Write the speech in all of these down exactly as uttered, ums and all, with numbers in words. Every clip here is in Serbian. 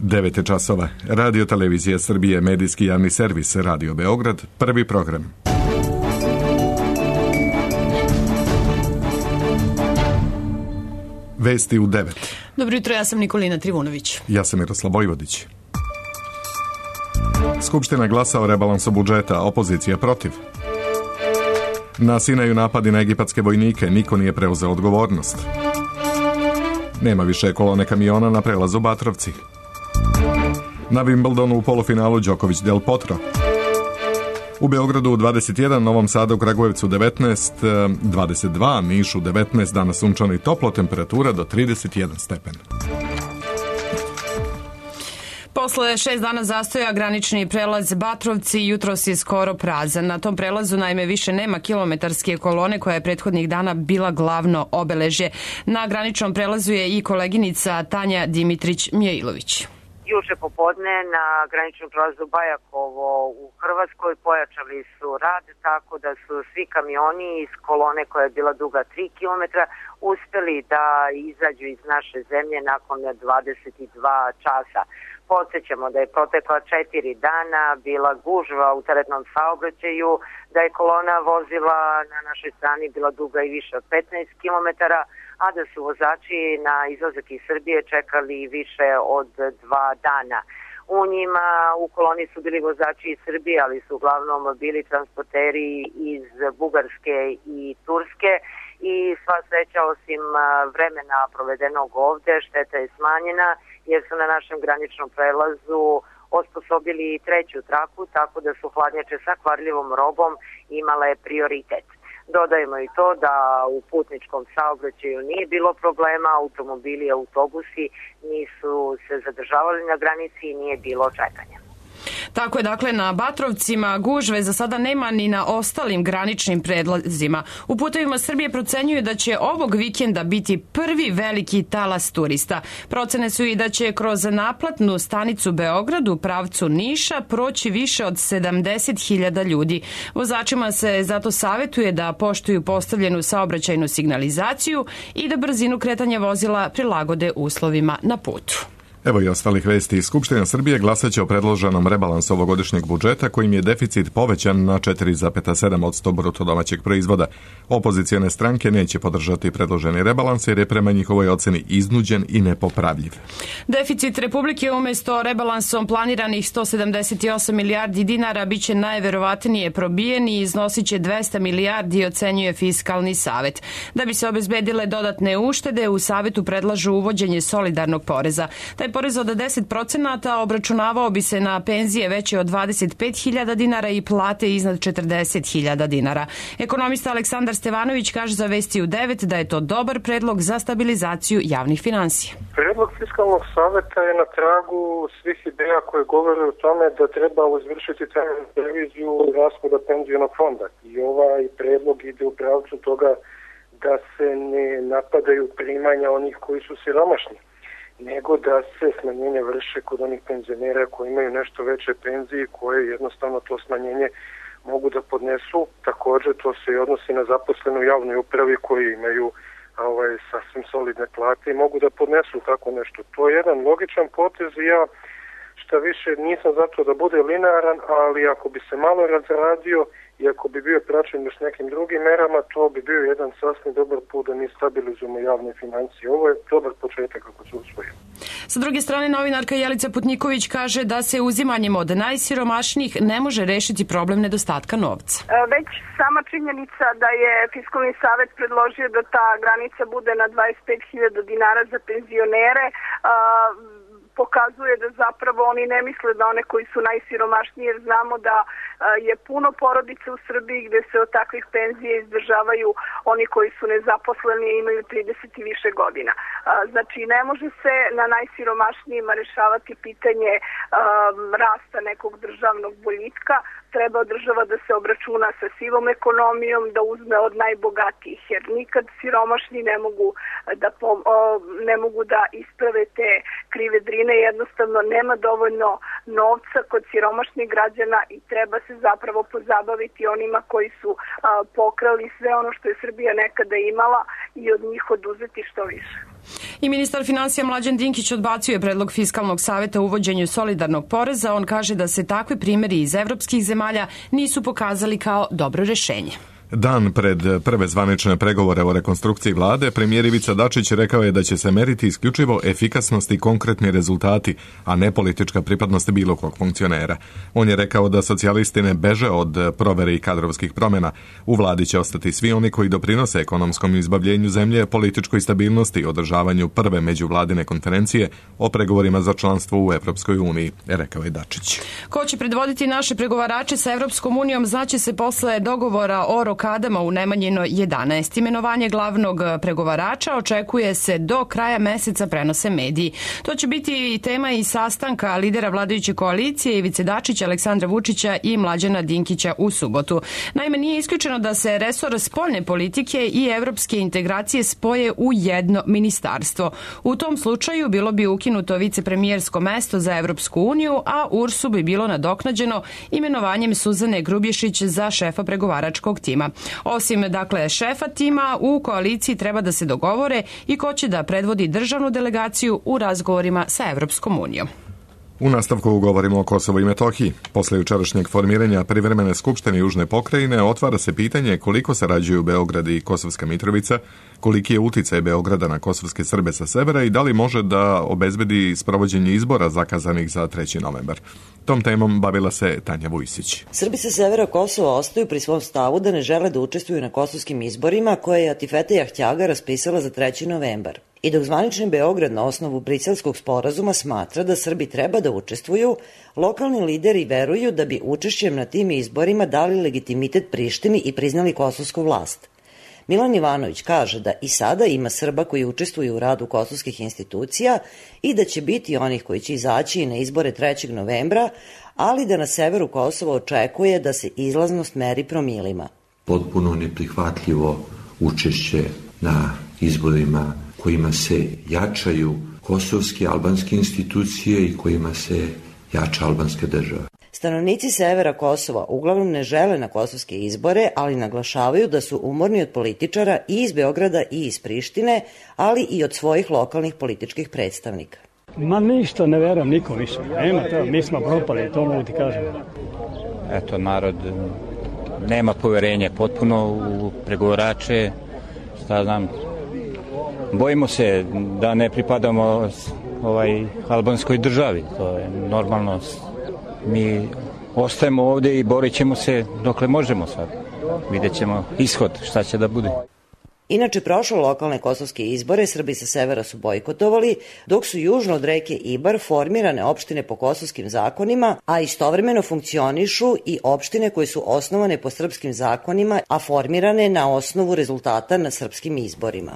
devet je časova. Radio Televizija Srbije, medijski javni servis, Radio Beograd, prvi program. Vesti u devet. Dobro jutro, ja sam Nikolina Trivunović. Ja sam Miroslav Vojvodić. Skupština glasa o rebalansu budžeta, opozicija protiv. Na Sinaju napadi na egipatske vojnike, niko nije preuzeo odgovornost. Nema više kolone kamiona na prelazu Batrovci. Na Wimbledonu u polufinalu Đoković Del Potro. U Beogradu dvadeset jedan, Novom Sadu, Kragujevcu devetnaest, dvadeset dva, Nišu devetnaest, danas sunčano i toplo, temperatura do trideset jedan stepen. Posle šest dana zastoja granični prelaz Batrovci jutros je skoro prazan. Na tom prelazu naime više nema kilometarske kolone koja je prethodnih dana bila glavno obeležje. Na graničnom prelazu je i koleginica Tanja Dimitrić-Mijailović. Juče popodne na graničnom prelazu Bajakovo u Hrvatskoj pojačali su rad tako da su svi kamioni iz kolone koja je bila duga tri kilometra uspeli da izađu iz naše zemlje nakon dvadeset dva časa. Podsjećamo da je protekla četiri dana bila gužva u teretnom saobraćaju, da je kolona vozila na našoj strani bila duga i više od petnaest kilometara, a da su vozači na izlazak iz Srbije čekali više od dva dana. U njima u koloni su bili vozači iz Srbije, ali su uglavnom bili transporteri iz Bugarske i Turske i sva sreća osim vremena provedenog ovde, šteta je smanjena jer su na našem graničnom prelazu osposobili treću traku, tako da su hladnjače sa kvarljivom robom imale prioritet. Dodajemo i to da u putničkom saobraćaju nije bilo problema, automobili i autobusi nisu se zadržavali na granici i nije bilo čekanja. Tako je, dakle, na Batrovcima gužve za sada nema ni na ostalim graničnim prelazima. U putevima Srbije procenjuju da će ovog vikenda biti prvi veliki talas turista. Procene su i da će kroz naplatnu stanicu Beograd u pravcu Niša proći više od sedamdeset hiljada ljudi. Vozačima se zato savetuje da poštuju postavljenu saobraćajnu signalizaciju i da brzinu kretanja vozila prilagode uslovima na putu. Evo i ostalih vesti. Skupština Srbije glasaće o predloženom rebalansu ovogodišnjeg budžeta kojim je deficit povećan na četiri zarez sedam posto bruto domaćeg proizvoda. Opozicijone stranke neće podržati predloženi rebalans jer je prema njihovoj oceni iznuđen i nepopravljiv. Deficit Republike umesto rebalansom planiranih sto sedamdeset osam milijardi dinara biće najverovatnije probijen i iznosit će dvesta milijardi, ocenjuje Fiskalni savet. Da bi se obezbedile dodatne uštede, u savetu predlažu uvođenje solidarnog poreza. Taj porez od deset procenata obračunavao bi se na penzije veće od dvadeset pet hiljada dinara i plate iznad četrdeset hiljada dinara. Ekonomista Aleksandar Stevanović kaže za Vesti u devet da je to dobar predlog za stabilizaciju javnih finansija. Predlog Fiskalnog saveta je na tragu svih ideja koje govore o tome da treba izvršiti temeljnu reviziju rashoda penzionog fonda. I ovaj predlog ide u pravcu toga da se ne napadaju primanja onih koji su siromašni, nego da se smanjenje vrše kod onih penzionera koji imaju nešto veće penzije, koje jednostavno to smanjenje mogu da podnesu. Također to se i odnosi na zaposlenu u javnoj upravi koji imaju ovaj, sasvim solidne plate i mogu da podnesu tako nešto. To je jedan logičan potez i ja šta više nisam zato da bude linearan, ali ako bi se malo razradio i ako bi bio praćen s nekim drugim merama, to bi bio jedan sasvim dobar put da mi stabilizujemo javne financije. Ovo je dobar početak ako se usvoji. Sa druge strane, novinarka Jelica Putniković kaže da se uzimanjem od najsiromašnijih ne može rešiti problem nedostatka novca. Već sama činjenica da je Fiskalni savet predložio da ta granica bude na dvadeset pet hiljada dinara za penzionere, pokazuje da zapravo oni ne misle da one koji su najsiromašniji, jer znamo da je puno porodica u Srbiji gde se od takvih penzija izdržavaju oni koji su nezaposleni i imaju trideset i više godina. Znači, ne može se na najsiromašnijima rešavati pitanje um, rasta nekog državnog boljitka. Treba država da se obračuna sa sivom ekonomijom, da uzme od najbogatijih, jer nikad siromašni ne mogu da, pom, o, ne mogu da isprave te krive drine. Jednostavno nema dovoljno novca kod siromašnih građana i treba se zapravo pozabaviti onima koji su a, pokrali sve ono što je Srbija nekada imala i od njih oduzeti što više. I ministar finansija Mlađan Dinkić odbacio je predlog Fiskalnog saveta o uvođenju solidarnog poreza. On kaže da se takvi primjeri iz evropskih zemalja nisu pokazali kao dobro rešenje. Dan pred prve zvanične pregovore o rekonstrukciji vlade, premijer Ivica Dačić rekao je da će se meriti isključivo efikasnost i konkretni rezultati, a ne politička pripadnost bilo kog funkcionera. On je rekao da socijalisti ne beže od provere i kadrovskih promjena. U vladi će ostati svi oni koji doprinose ekonomskom izbavljenju zemlje, političkoj stabilnosti i održavanju prve međuvladine konferencije o pregovorima za članstvo u Evropskoj uniji, rekao je Dačić. Ko će predvoditi naše pregovarače sa Evropskom unijom znaće se posle dogovora o rokadama u Nemanjinoj jedanaest. Imenovanje glavnog pregovarača očekuje se do kraja meseca, prenose mediji. To će biti i tema i sastanka lidera vladajuće koalicije Ivice Dačića, Aleksandra Vučića i Mlađana Dinkića u subotu. Naime, nije isključeno da se resor spoljne politike i evropske integracije spoje u jedno ministarstvo. U tom slučaju bilo bi ukinuto vicepremijersko mesto za Evropsku uniju, a U R S-u bi bilo nadoknađeno imenovanjem Suzane Grubješić za šefa pregovaračkog tima. Osim, dakle, šefa tima, u koaliciji treba da se dogovore i ko će da predvodi državnu delegaciju u razgovorima sa Evropskom unijom. U nastavku govorimo o Kosovu i Metohiji. Posle jučerašnjeg formiranja privremene skupštine Južne pokrajine otvara se pitanje koliko sarađuju Beograd i Kosovska Mitrovica, koliki je uticaj Beograda na kosovske Srbe sa severa i da li može da obezbedi sprovođenje izbora zakazanih za treći novembar. Tom temom bavila se Tanja Vujsić. Srbi sa severa Kosova ostaju pri svom stavu da ne žele da učestvuju na kosovskim izborima koje je Atifete Jahtjaga raspisala za treći novembar. I dok zvanični Beograd na osnovu Briselskog sporazuma smatra da Srbi treba da učestvuju, lokalni lideri veruju da bi učešćem na tim izborima dali legitimitet Prištini i priznali kosovsku vlast. Milan Ivanović kaže da i sada ima Srba koji učestvuju u radu kosovskih institucija i da će biti onih koji će izaći na izbore trećeg novembra, ali da na severu Kosova očekuje da se izlaznost meri promilima. Potpuno neprihvatljivo učešće na izborima kojima se jačaju kosovske albanske institucije i kojima se jača albanska država. Stanovnici severa Kosova uglavnom ne žele na kosovske izbore, ali naglašavaju da su umorni od političara i iz Beograda i iz Prištine, ali i od svojih lokalnih političkih predstavnika. Ma ništa ne verujem nikom više. Nema to, mi smo propali, to mogu ti kažem. Eto, narod nema poverenje potpuno u pregovarače, šta znam. Bojimo se da ne pripadamo ovaj albanskoj državi, to je normalno. Mi ostajemo ovdje i borit ćemo se dokle možemo sad. Vidjet ćemo ishod, šta će da bude. Inače, prošle lokalne kosovske izbore Srbi sa severa su bojkotovali, dok su južno od reke Ibar formirane opštine po kosovskim zakonima, a istovremeno funkcionišu i opštine koje su osnovane po srpskim zakonima, a formirane na osnovu rezultata na srpskim izborima.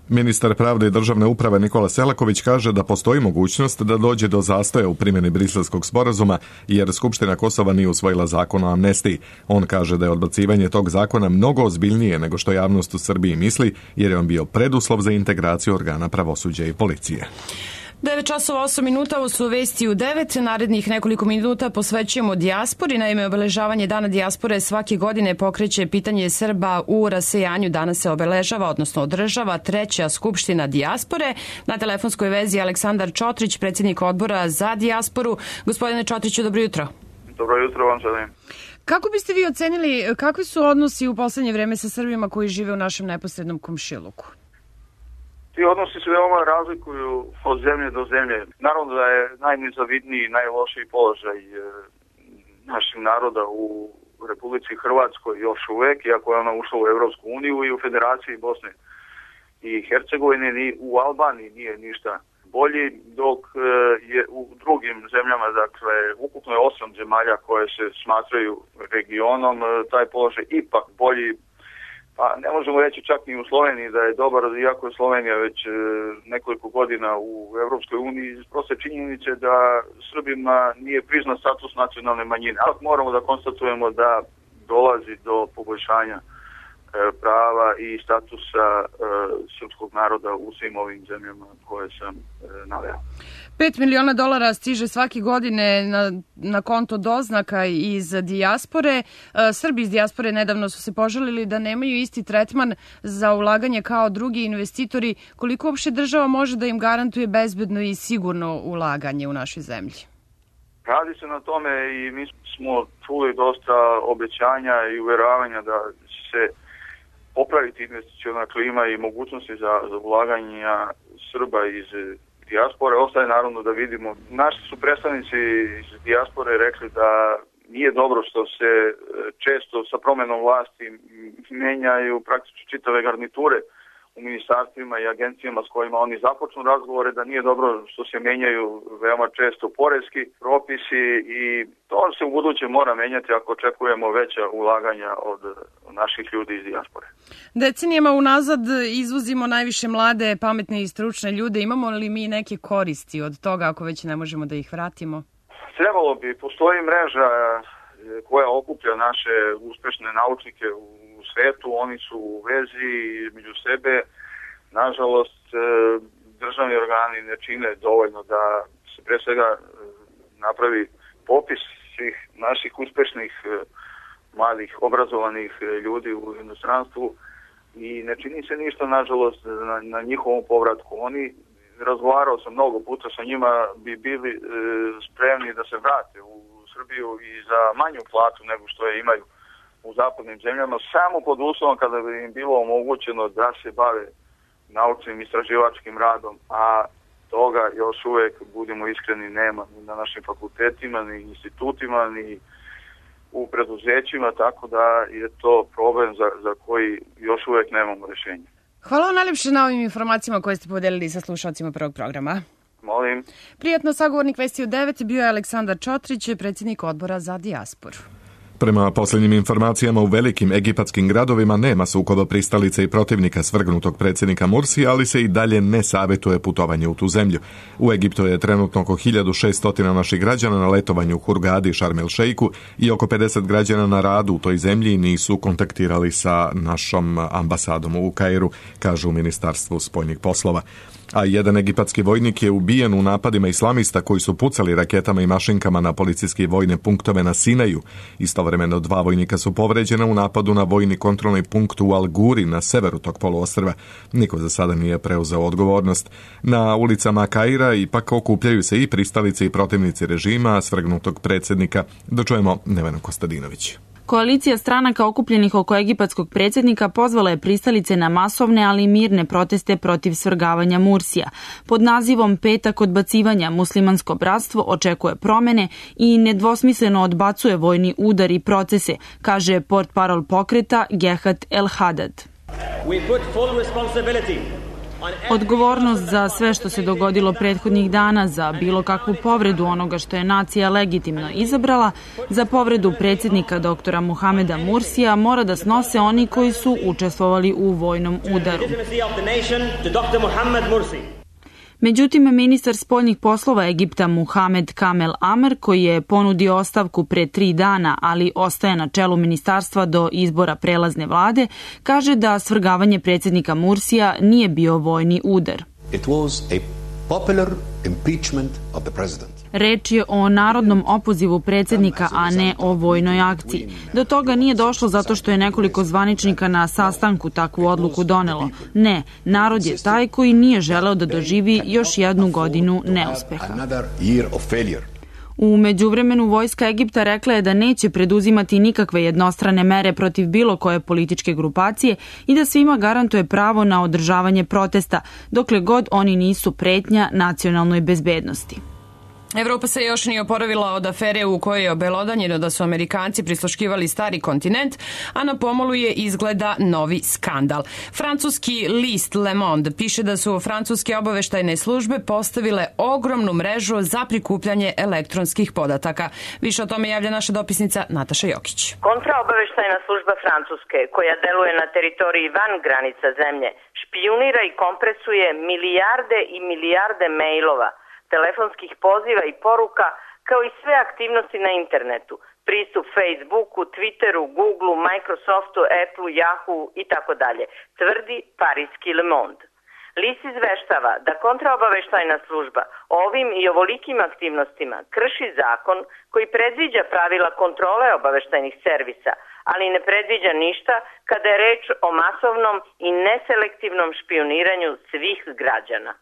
Ministar pravde i državne uprave Nikola Selaković kaže da postoji mogućnost da dođe do zastoja u primjeni Briselskog sporazuma jer Skupština Kosova nije usvojila zakon o amnestiji. On kaže da je odbacivanje tog zakona mnogo ozbiljnije nego što javnost u Srbiji misli jer je on bio preduslov za integraciju organa pravosuđa i policije. devet časova osam minuta, ovo su vesti u devet. Narednih nekoliko minuta posvećujemo dijaspori. Naime, obeležavanje Dana dijaspore svake godine pokreće pitanje Srba u rasejanju. Danas se obeležava, odnosno održava treća skupština dijaspore. Na telefonskoj vezi Aleksandar Čotrić, predsjednik odbora za dijasporu. Gospodine Čotriću, dobro jutro. Dobro jutro vam želim. Kako biste vi ocenili kakvi su odnosi u poslednje vreme sa Srbima koji žive u našem neposrednom komšiluku? Ti odnosi se veoma razlikuju od zemlje do zemlje. Naravno da je najnezavidniji i najlošiji položaj naših naroda u Republici Hrvatskoj još uvek, iako je ona ušla u Evropsku uniju i u Federaciji Bosne i Hercegovine, ni u Albaniji nije ništa bolji, dok je u drugim zemljama, dakle, ukupno je osam zemalja koje se smatraju regionom, taj položaj ipak bolji. Pa ne možemo reći čak ni u Sloveniji da je dobar, iako je Slovenija već e, nekoliko godina u Evropskoj uniji, iz proste činjenice da Srbima nije priznat status nacionalne manjine. Ali moramo da konstatujemo da dolazi do poboljšanja e, prava i statusa e, srpskog naroda u svim ovim zemljama koje sam e, naveo. Pet miliona dolara stiže svake godine na, na konto doznaka iz dijaspore. Srbi iz dijaspore nedavno su se požalili da nemaju isti tretman za ulaganje kao drugi investitori. Koliko uopšte država može da im garantuje bezbedno i sigurno ulaganje u našoj zemlji? Radi se na tome i mi smo čuli dosta obećanja i uveravanja da će se popraviti investiciona klima i mogućnosti za, za ulaganja Srba iz dijaspore. Ostaje naravno da vidimo. Naši su predstavnici iz dijaspore rekli da nije dobro što se često sa promenom vlasti menjaju praktično čitave garniture u ministarstvima i agencijama s kojima oni započnu razgovore, da nije dobro što se menjaju veoma često poreski propisi i to se u buduće mora menjati ako očekujemo veća ulaganja od naših ljudi iz dijaspore. Decenijama unazad izvozimo najviše mlade, pametne i stručne ljude. Imamo li mi neke koristi od toga ako već ne možemo da ih vratimo? Trebalo bi. Postoji mreža koja okuplja naše uspešne naučnike u svetu, oni su u vezi među sebe. Nažalost, državni organi ne čine dovoljno da se pre svega napravi popis svih naših uspešnih mladih, obrazovanih ljudi u inostranstvu i ne čini se ništa, nažalost, na, na njihovom povratku. Oni, razgovarao sam mnogo puta sa njima, bi bili e, spremni da se vrate u Srbiju i za manju platu nego što je imaju u zapadnim zemljama, samo pod uslovom kada bi im bilo omogućeno da se bave naučnim istraživačkim radom, a toga još uvek, budimo iskreni, nema ni na našim fakultetima, ni institutima, ni u preduzećima, tako da je to problem za, za koji još uvek nemamo rešenje. Hvala vam najljepše na ovim informacijama koje ste podelili sa slušalcima prvog programa. Molim. Prijatno, sagovornik Vesti u devet bio je Aleksandar Čotrić, predsjednik odbora za dijasporu. Prema posljednjim informacijama u velikim egipatskim gradovima nema sukoba pristalica i protivnika svrgnutog predsjednika Mursija, ali se i dalje ne savjetuje putovanje u tu zemlju. U Egiptu je trenutno oko hiljadu šesto naših građana na letovanju u Hurgadi i Šarm el Šeiku i oko pedeset građana na radu u toj zemlji nisu kontaktirali sa našom ambasadom u Kairu, kažu u Ministarstvu spoljnih poslova. A jedan egipatski vojnik je ubijen u napadima islamista koji su pucali raketama i mašinkama na policijske i vojne punktove na Sinaju. Istovremeno dva vojnika su povređena u napadu na vojni kontrolni punkt u Al Guri na severu tog poluostrva. Niko za sada nije preuzeo odgovornost. Na ulicama Kaira ipak okupljaju se i pristalice i protivnici režima svrgnutog predsjednika. Dočujemo Nevena Kostadinović. Koalicija stranaka okupljenih oko egipatskog predsjednika pozvala je pristalice na masovne, ali i mirne proteste protiv svrgavanja Mursija. Pod nazivom Petak odbacivanja muslimansko bratstvo očekuje promene i nedvosmisleno odbacuje vojni udar i procese, kaže portparol pokreta Gehat El Hadad. Odgovornost za sve što se dogodilo prethodnih dana, za bilo kakvu povredu onoga što je nacija legitimno izabrala, za povredu predsjednika doktora Muhameda Mursija mora da snose oni koji su učestvovali u vojnom udaru. Međutim, ministar spoljnih poslova Egipta Muhamed Kamel Amer, koji je ponudio ostavku pre tri dana, ali ostaje na čelu ministarstva do izbora prelazne vlade, kaže da svrgavanje predsjednika Mursija nije bio vojni udar. It was a popular impeachment of the president. Reč je o narodnom opozivu predsjednika, a ne o vojnoj akciji. Do toga nije došlo zato što je nekoliko zvaničnika na sastanku takvu odluku donelo. Ne, narod je taj koji nije želeo da doživi još jednu godinu neuspeha. U međuvremenu vojska Egipta rekla je da neće preduzimati nikakve jednostrane mere protiv bilo koje političke grupacije i da svima garantuje pravo na održavanje protesta, dokle god oni nisu pretnja nacionalnoj bezbednosti. Evropa se još nije oporavila od afere u kojoj je obelodanjeno da su Amerikanci prisluškivali stari kontinent, a na pomolu je izgleda novi skandal. Francuski list Le Monde piše da su francuske obaveštajne službe postavile ogromnu mrežu za prikupljanje elektronskih podataka. Više o tome javlja naša dopisnica Nataša Jokić. Kontraobaveštajna služba Francuske, koja deluje na teritoriji van granica zemlje, špijunira i kompresuje milijarde i milijarde mailova, telefonskih poziva i poruka, kao i sve aktivnosti na internetu, pristup Facebooku, Twitteru, Googleu, Microsoftu, Appleu, Yahoo i tako dalje, tvrdi parijski Le Monde. Lis izveštava da kontraobaveštajna služba ovim i ovolikim aktivnostima krši zakon koji predviđa pravila kontrole obaveštajnih servisa, ali ne predviđa ništa kada je reč o masovnom i neselektivnom špioniranju svih građana.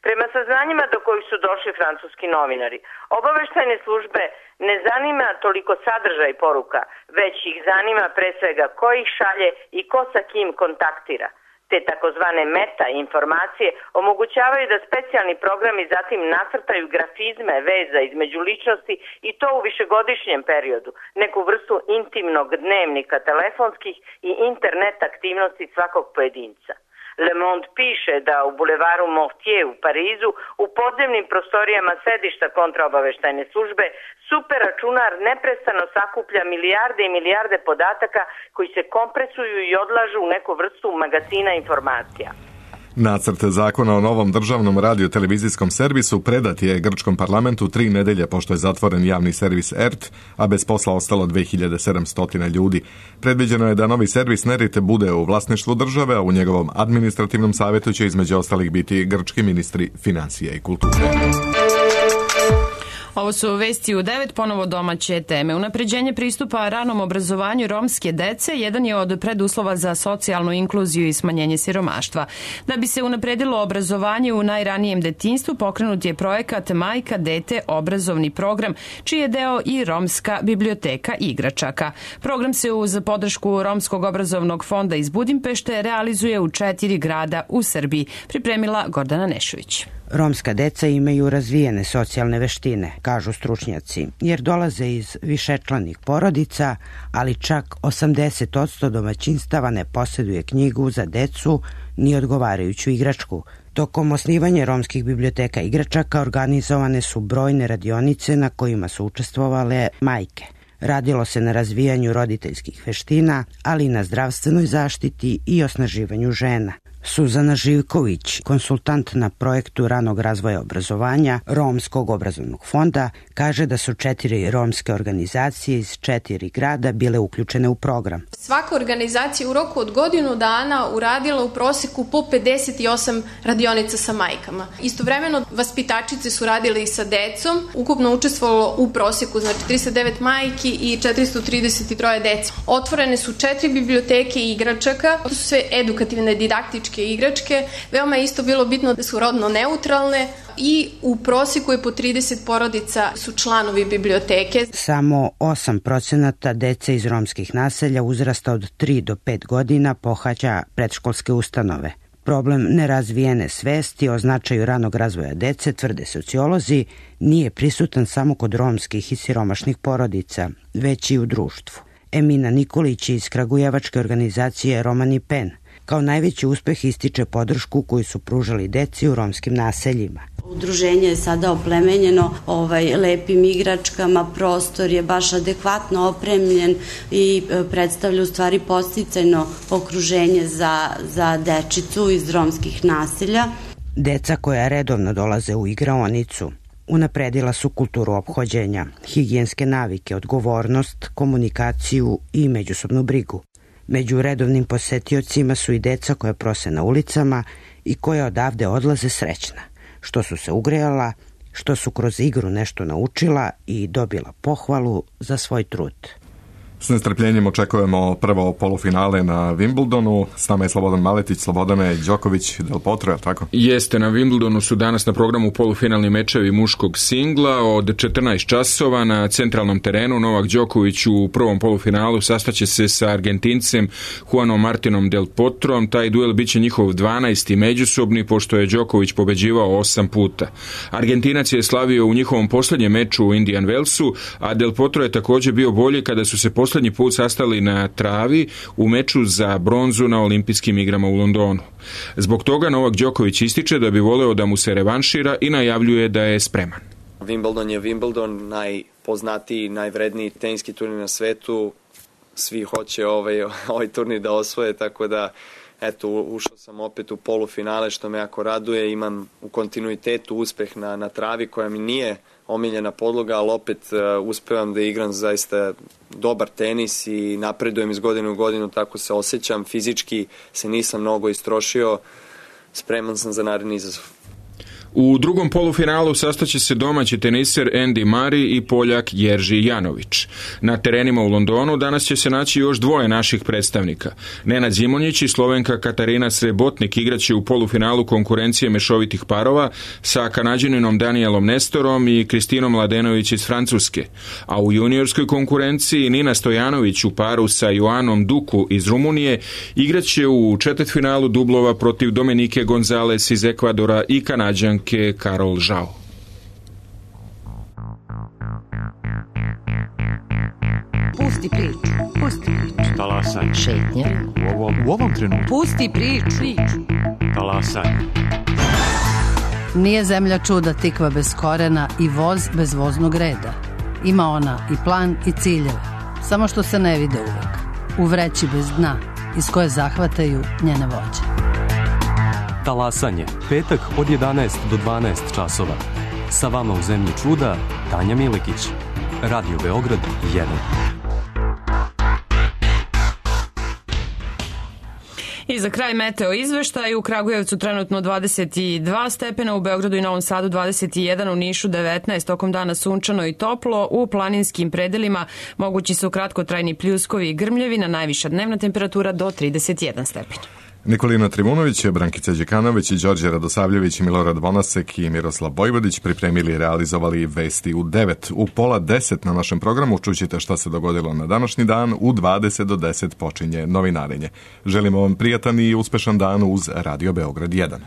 Prema saznanjima do kojih su došli francuski novinari, obaveštajne službe ne zanima toliko sadržaj poruka, već ih zanima pre svega ko ih šalje i ko sa kim kontaktira. Te takozvane meta informacije omogućavaju da specijalni programi zatim nacrtaju grafizme veza između ličnosti i to u višegodišnjem periodu, neku vrstu intimnog dnevnika telefonskih i internet aktivnosti svakog pojedinca. Le Monde piše da u bulevaru Mortier u Parizu, u podzemnim prostorijama sedišta kontraobaveštajne službe, super računar neprestano sakuplja milijarde i milijarde podataka koji se kompresuju i odlažu u neku vrstu magazina informacija. Nacrt zakona o novom državnom radio-televizijskom servisu predat je grčkom parlamentu tri nedelje pošto je zatvoren javni servis E R T, a bez posla ostalo dve hiljade sedamsto ljudi. Predviđeno je da novi servis N E R I T bude u vlasništvu države, a u njegovom administrativnom savjetu će između ostalih biti grčki ministri financija i kulture. Ovo su vesti u devet, ponovo domaće teme. Unapređenje pristupa ranom obrazovanju romske dece jedan je od preduslova za socijalnu inkluziju i smanjenje siromaštva. Da bi se unapredilo obrazovanje u najranijem detinjstvu, pokrenut je projekat Majka, dete, obrazovni program, čiji je deo i romska biblioteka igračaka. Program se uz podršku Romskog obrazovnog fonda iz Budimpešte realizuje u četiri grada u Srbiji, pripremila Gordana Nešović. Romska deca imaju razvijene socijalne veštine, kažu stručnjaci, jer dolaze iz višečlanih porodica, ali čak osamdeset posto domaćinstava ne posjeduje knjigu za decu ni odgovarajuću igračku. Tokom osnivanja romskih biblioteka igračaka organizovane su brojne radionice na kojima su učestvovale majke. Radilo se na razvijanju roditeljskih veština, ali i na zdravstvenoj zaštiti i osnaživanju žena. Suzana Živković, konsultant na projektu ranog razvoja obrazovanja Romskog obrazovnog fonda, kaže da su četiri romske organizacije iz četiri grada bile uključene u program. Svaka organizacija u roku od godinu dana uradila u proseku po pedeset osam radionica sa majkama. Istovremeno vaspitačice su radile i sa decom, ukupno učestvovalo u proseku, znači tristo devet majki i četiristo trideset tri dece. Otvorene su četiri biblioteke igračaka, to su sve edukativne, didaktičke igračke. Veoma je isto bilo bitno da su rodno neutralne i u prosjeku je po trideset porodica su članovi biblioteke. Samo osam procenata dece iz romskih naselja uzrasta od tri do pet godina pohađa predškolske ustanove. Problem nerazvijene svesti o značaju ranog razvoja dece, tvrde sociolozi, nije prisutan samo kod romskih i siromašnih porodica, već i u društvu. Emina Nikolić iz kragujevačke organizacije Romani Pen kao najveći uspeh ističe podršku koju su pružali deci u romskim naseljima. Udruženje je sada oplemenjeno ovaj, lepim igračkama, prostor je baš adekvatno opremljen i predstavlja u stvari podsticajno okruženje za, za dečicu iz romskih naselja. Deca koja redovno dolaze u igraonicu unapredila su kulturu ophođenja, higijenske navike, odgovornost, komunikaciju i međusobnu brigu. Među redovnim posetiocima su i deca koja prose na ulicama i koja odavde odlaze srećna, što su se ugrejala, što su kroz igru nešto naučila i dobila pohvalu za svoj trud. S nestrpljenjem očekujemo prvo polufinale na Wimbledonu. S nama je Slobodan Maletić. Slobodane, Đoković, Del Potro, je tako? Jeste, na Wimbledonu su danas na programu polufinalni mečevi muškog singla od četrnaest časova na centralnom terenu. Novak Đoković u prvom polufinalu sastaće se sa Argentincem Juanom Martinom Del Potrom. Taj duel biće njihov dvanaesti međusobni, pošto je Đoković pobeđivao osam puta. Argentinac je slavio u njihovom posljednjem meču u Indian Wellsu, a Del Potro je također bio bolji kada su se posljednji put sastali na travi u meču za bronzu na olimpijskim igrama u Londonu. Zbog toga Novak Đoković ističe da bi voleo da mu se revanšira i najavljuje da je spreman. Wimbledon je Wimbledon, najpoznatiji, najvredniji teniski turnir na svetu. Svi hoće ovaj, ovaj turnir da osvoje, tako da eto, ušao sam opet u polufinale, što me jako raduje. Imam u kontinuitetu uspeh na, na travi koja mi nije omiljena podloga, ali opet uh, uspevam da igram zaista dobar tenis i napredujem iz godine u godinu, tako se osjećam. Fizički se nisam mnogo istrošio, spreman sam za naredni izazov. U drugom polufinalu sastaće se domaći teniser Andy Murray i Poljak Jerži Janović. Na terenima u Londonu danas će se naći još dvoje naših predstavnika. Nenad Zimonjić i Slovenka Katarina Srebotnik igraće u polufinalu konkurencije mešovitih parova sa Kanađaninom Danielom Nestorom i Kristinom Mladenović iz Francuske. A u juniorskoj konkurenciji Nina Stojanović u paru sa Joanom Duku iz Rumunije igraće u četvrtfinalu dublova protiv Dominike Gonzales iz Ekvadora i Kanađanke Karol Žao. Pusti priču, pusti priču. Talasaj. Šetnja. U ovom, u ovom trenutku. Pusti priču. priču. Talasaj. Nije zemlja čuda tikva bez korena i voz bez voznog reda. Ima ona i plan i ciljeve, samo što se ne vide uvek. U vreći bez dna, iz koje zahvataju njene vođe. Talasanje, petak od jedanaest do dvanaest časova. Sa vama u zemlji čuda, Tanja Milekić. Radio Beograd jedan. I za kraj meteo izveštaj, u Kragujevcu trenutno dvadeset dva stepena, u Beogradu i Novom Sadu dvadeset jedan, u Nišu devetnaest, tokom dana sunčano i toplo, u planinskim predelima mogući su kratkotrajni pljuskovi i grmljevi, najviša dnevna temperatura do trideset jedan stepen. Nikolina Trivunović, Brankica Đekanović, Đorđe Radosavljević, Milorad Vonasek i Miroslav Bojvodić pripremili i realizovali vesti u devet. U pola deset na našem programu čućete šta se dogodilo na današnji dan, u dvadeset do deset počinje novinarenje. Želimo vam prijatan i uspešan dan uz Radio Beograd jedan.